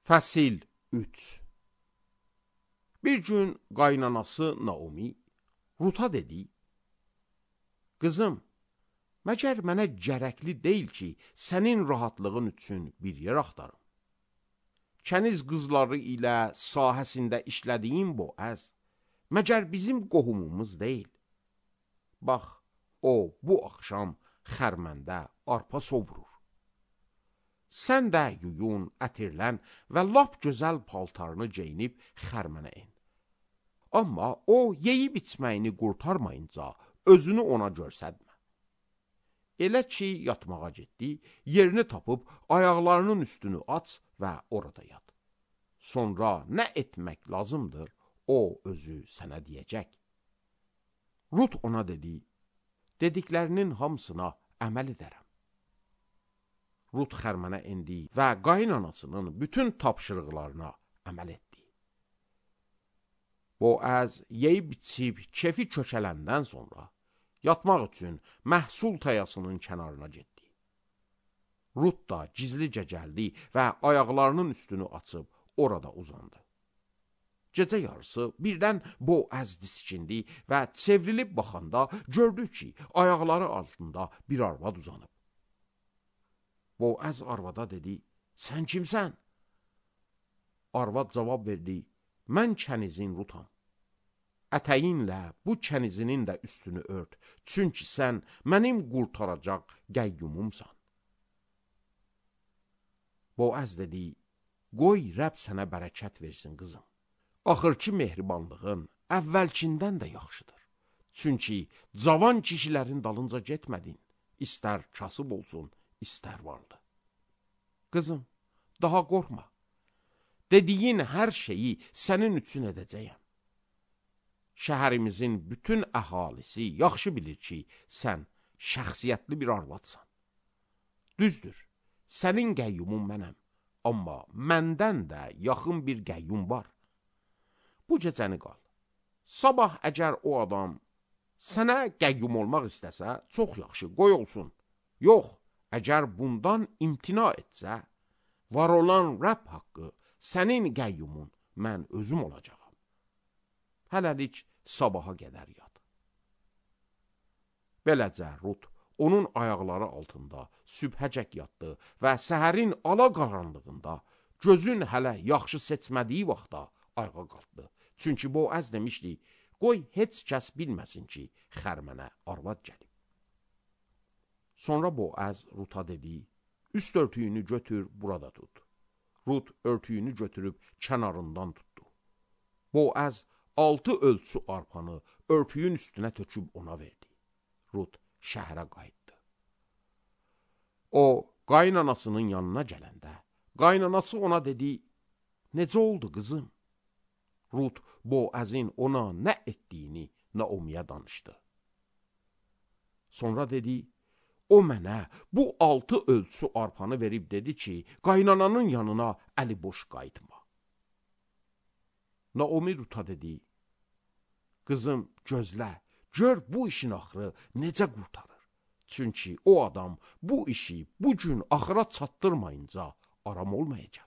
Fəsil 3. Bir gün qaynanası Naomi Ruta dedi: Qızım, məgər mənə gərəkli deyil ki, sənin rahatlığın üçün bir yer axtarım. Kəniz qızları ilə sahəsində işlədiyin Boaz, məgər bizim qohumumuz deyil. Bax, o bu axşam xərməndə arpa sovurur. Sən də yuyun, ətirlən və lap gözəl paltarını geyinib xərmənə in. Amma o yeyib içməyini qurtarmayınca özünü ona görsətmə. Elə ki, yatmağa getdi, yerini tapıb ayaqlarının üstünü aç və orada yat. Sonra nə etmək lazımdır, o özü sənə deyəcək. Rut ona dedi: Dediklərinin hamısına əməl edərəm. Rut xərmənə indi və qaynanasının bütün tapşırıqlarına əməl etdi. Boaz yeyib içib kefi kökələndən sonra yatmaq üçün məhsul tayasının kənarına getdi. Rut da gizlicə gəldi və ayaqlarının üstünü açıb orada uzandı. Gecə yarısı birdən Boaz diskindi və çevrilib baxanda gördü ki, ayaqları altında bir arvad uzanıb. Boaz arvada dedi: Sən kimsən? Arvad cavab verdi: Mən kənizin Rutam. Ətəyinlə bu kənizinin də üstünü ört, çünki sən mənim qurtaracaq qəyyumumsan. Boaz dedi: Qoy Rəbb sənə bərəkət versin, qızım. Axırki mehribanlığın əvvəlkindən də yaxşıdır. Çünki cavan kişilərin dalınca getmədin, istər kasıb olsun, istər vardı. Qızım, daha qorxma. Dediyin hər şeyi sənin üçün edəcəyəm. Şəhərimizin bütün əhalisi yaxşı bilir ki, sən şəxsiyyətli bir arvadsan. Düzdür, sənin qəyyumun mənəm, amma məndən də yaxın bir qəyyum var. Bu gecəni qal. Sabah əgər o adam sənə qəyyum olmaq istəsə, çox yaxşı, qoy olsun. Yox, əgər bundan imtina etsə, var olan Rəbb haqqı sənin qəyyumun mən özüm olacağam. Hələlik sabaha qədər yat. Beləcə Rut onun ayaqları altında sübhəcək yatdı və səhərin ala qaranlığında gözün hələ yaxşı seçmədiyi vaxtda ayağa qalxdı. Çünki Boaz demişdi: Qoy heç kəs bilməsin ki, xərmənə arvad gəlib. Sonra Boaz Ruta dedi: Üst örtüyünü götür, burada tut. Rut örtüyünü götürüb kənarından tutdu. Boaz 6 ölçü arpanı örtüyün üstünə töküb ona verdi. Rut şəhərə qayıtdı. O, qaynanasının yanına gələndə, qaynanası ona dedi: Necə oldu, qızım? Rut, Boazin ona nə etdiyini Naomiyə danışdı. Sonra dedi: O mənə bu 6 ölçü arpanı verib dedi ki, qaynananın yanına əli boş qayıtma. Naomi Ruta dedi: Qızım, gözlə, gör bu işin axırı necə qurtarır. Çünki o adam bu işi bu gün axıra çatdırmayınca aram olmayacaq.